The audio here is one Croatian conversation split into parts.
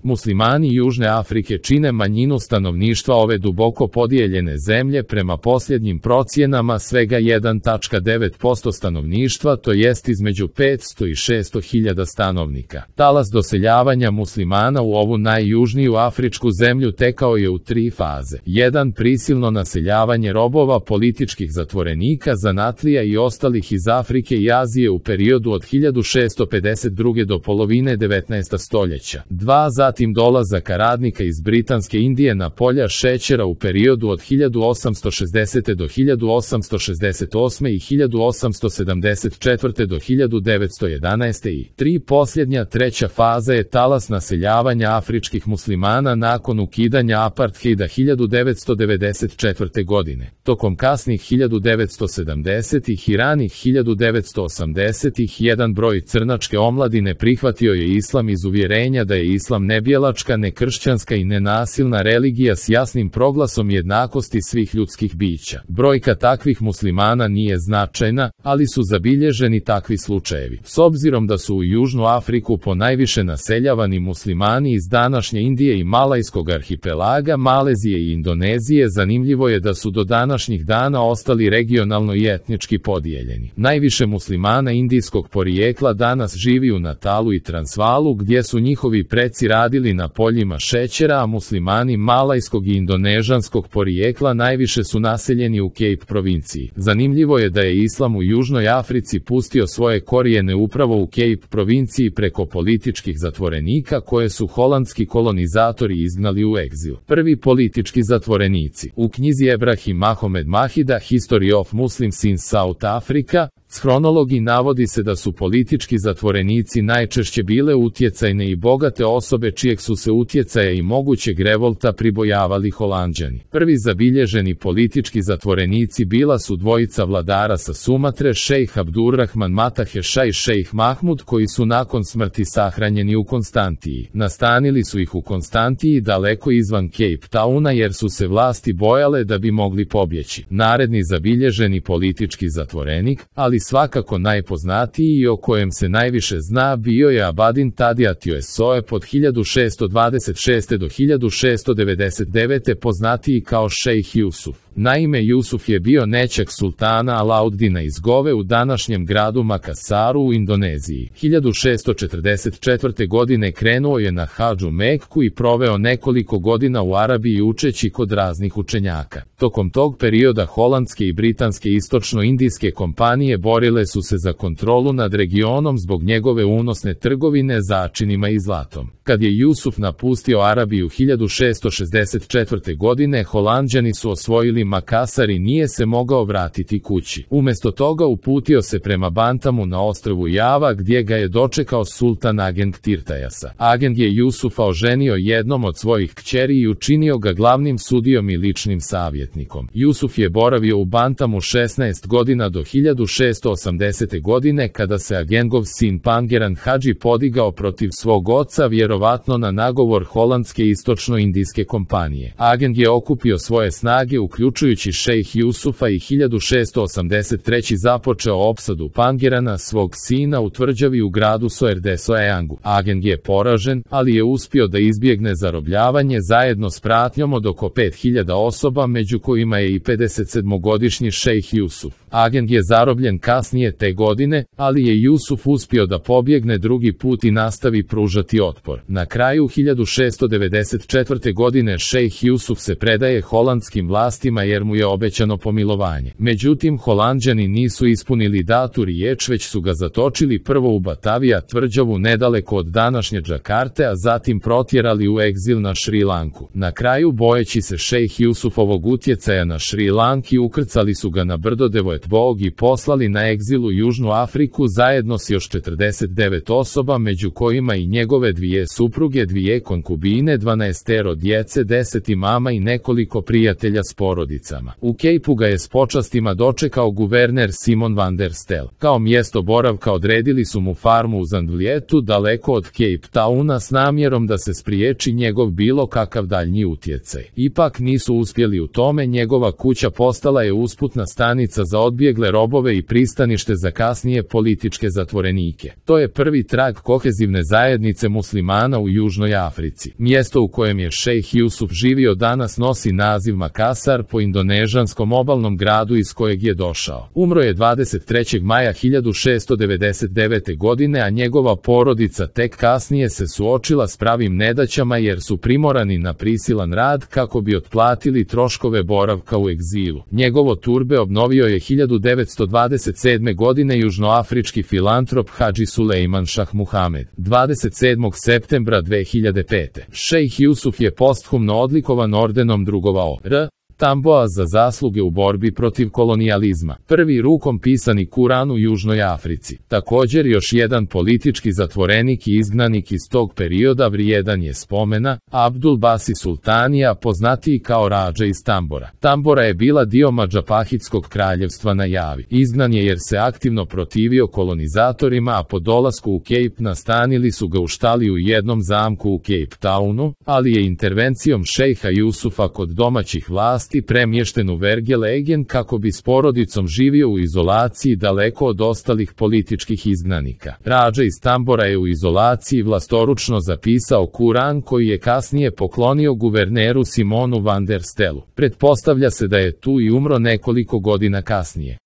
Muslimani Južne Afrike čine manjinu stanovništva ove duboko podijeljene zemlje, prema posljednjim procjenama svega 1,9% stanovništva, to jest između 500 i 600 hiljada stanovnika. Talas doseljavanja muslimana u ovu najjužniju afričku zemlju tekao je u 3 faze. 1. Prisilno naseljavanje robova, političkih zatvorenika, zanatlija i ostalih iz Afrike i Azije u periodu od 1652. do polovine 19. stoljeća. 2. Zatim dolazaka radnika iz Britanske Indije na polja šećera u periodu od 1860. do 1868. i 1874. do 1911. i 3. Posljednja, treća faza je talas naseljavanja afričkih muslimana nakon ukidanja apartheida 1994. godine. Tokom kasnih 1970. i ranih 1980. jedan broj crnačke omladine prihvatio je islam iz uvjerenja da je islam nebjelačka, nekršćanska i nenasilna religija s jasnim proglasom jednakosti svih ljudskih bića. Brojka takvih muslimana nije značajna, ali su zabilježeni takvi slučajevi. S obzirom da su u Južnu Afriku ponajviše naseljavani muslimani iz današnje Indije i Malajskog arhipelaga, Malezije i Indonezije, zanimljivo je da su do današnjih dana ostali regionalno i etnički podijeljeni. Najviše muslimana indijskog porijekla danas živi u Natalu i Transvaalu, gdje su njihovi preci radili na poljima šećera, a muslimani malajskog i indonežanskog porijekla najviše su naseljeni u Cape provinciji. Zanimljivo je da je islam u Južnoj Africi pustio svoje korijene upravo u Cape provinciji preko političkih zatvorenika koje su holandski kolonizatori izgnali u egzil. Prvi politički zatvorenici. U knjizi Ebrahim Mahomed Mahida History of Muslims in South Africa, hronologi navodi se da su politički zatvorenici najčešće bile utjecajne i bogate osobe čijeg su se utjecaja i mogućeg revolta pribojavali Holanđani. Prvi zabilježeni politički zatvorenici bila su dvojica vladara sa Sumatre, šejh Abdurrahman Mataheša i šejh Mahmud, koji su nakon smrti sahranjeni u Konstantiji. Nastanili su ih u Konstantiji daleko izvan Cape Towna jer su se vlasti bojale da bi mogli pobjeći. Naredni zabilježeni politički zatvorenik, ali svakako najpoznatiji i o kojem se najviše zna, bio je Abadin Tadija Tioesoe pod 1626. do 1699. poznatiji kao šejh Jusuf. Naime, Jusuf je bio nećak sultana Alauddina iz Gove u današnjem gradu Makasaru u Indoneziji. 1644. godine krenuo je na hadžu Mekku i proveo nekoliko godina u Arabiji učeći kod raznih učenjaka. Tokom tog perioda holandske i britanske istočno-indijske kompanije borile su se za kontrolu nad regionom zbog njegove unosne trgovine začinima i zlatom. Kad je Jusuf napustio Arabiju 1664. godine, Holanđani su osvojili Makasar i nije se mogao vratiti kući. Umjesto toga uputio se prema Bantamu na ostrvu Java, gdje ga je dočekao sultan Ageng Tirtayasa. Ageng je Jusufa oženio jednom od svojih kćeri i učinio ga glavnim sudijom i ličnim savjetnikom. Jusuf je boravio u Bantamu 16 godina do 1680. godine, kada se Agengov sin Pangeran Hadži podigao protiv svog oca, vjerovatno na nagovor holandske istočno-indijske kompanije. Ageng je okupio svoje snage uključujući šejh Jusufa i 1683. započeo opsadu Pangerana, svog sina, u tvrđavi u gradu Soerdesoeangu. Ageng je poražen, ali je uspio da izbjegne zarobljavanje zajedno s pratnjom od oko 5000 osoba, među kojima je i 57-godišnji šejh Jusuf. Ageng je zarobljen kasnije te godine, ali je Jusuf uspio da pobjegne drugi put i nastavi pružati otpor. Na kraju 1694. godine šejh Jusuf se predaje holandskim vlastima jer mu je obećano pomilovanje. Međutim, Holanđani nisu ispunili datu riječ, već su ga zatočili prvo u Batavija tvrđavu nedaleko od današnje Džakarte, a zatim protjerali u egzil na Šri Lanku. Na kraju, bojeći se šejh Jusufovog utjecaja na Šri Lanki, ukrcali su ga na brdo Devoetbog i poslali na egzil u Južnu Afriku zajedno s još 49 osoba, među kojima i njegove 2 supruge, 2 konkubine, 12 djece, 10 imama i nekoliko prijatelja s porodicom. porodicama. U Cape-u ga je s počastima dočekao guverner Simon van der Stel. Kao mjesto boravka odredili su mu farmu u Zandvlietu daleko od Cape Towna s namjerom da se spriječi njegov bilo kakav daljnji utjecaj. Ipak nisu uspjeli u tome, njegova kuća postala je usputna stanica za odbjegle robove i pristanište za kasnije političke zatvorenike. To je prvi trag kohezivne zajednice muslimana u Južnoj Africi. Mjesto u kojem je šejh Jusuf živio danas nosi naziv Makassar po indonežanskom obalnom gradu iz kojeg je došao. Umro je 23. maja 1699. godine, a njegova porodica tek kasnije se suočila s pravim nedaćama jer su primorani na prisilan rad kako bi otplatili troškove boravka u egzilu. Njegovo turbe obnovio je 1927. godine južnoafrički filantrop Hadži Sulejman Šah Muhamed. 27. septembra 2005. šejh Jusuf je posthumno odlikovan ordenom drugova O.R. Tamboa za zasluge u borbi protiv kolonijalizma. Prvi rukom pisani Kuran u Južnoj Africi. Također još jedan politički zatvorenik i izgnanik iz tog perioda vrijedan je spomena, Abdul Basi Sultanija, poznatiji kao Rađa iz Tambora. Tambora je bila dio Madžapahitskog kraljevstva na Javi. Izgnan je jer se aktivno protivio kolonizatorima, a po dolasku u Cape nastanili su ga u štali u jednom zamku u Cape Townu, ali je intervencijom šejha Jusufa kod domaćih vlasti premješten u Vergelegen kako bi s porodicom živio u izolaciji daleko od ostalih političkih izgnanika. Rađa iz Tambora je u izolaciji vlastoručno zapisao Kuran koji je kasnije poklonio guverneru Simonu van der Stelu. Pretpostavlja se da je tu i umro nekoliko godina kasnije.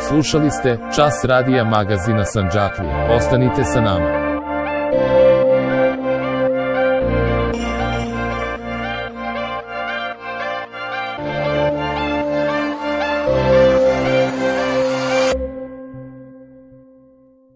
Slušali ste Čas radija magazina Sandžaklija. Ostanite sa nama.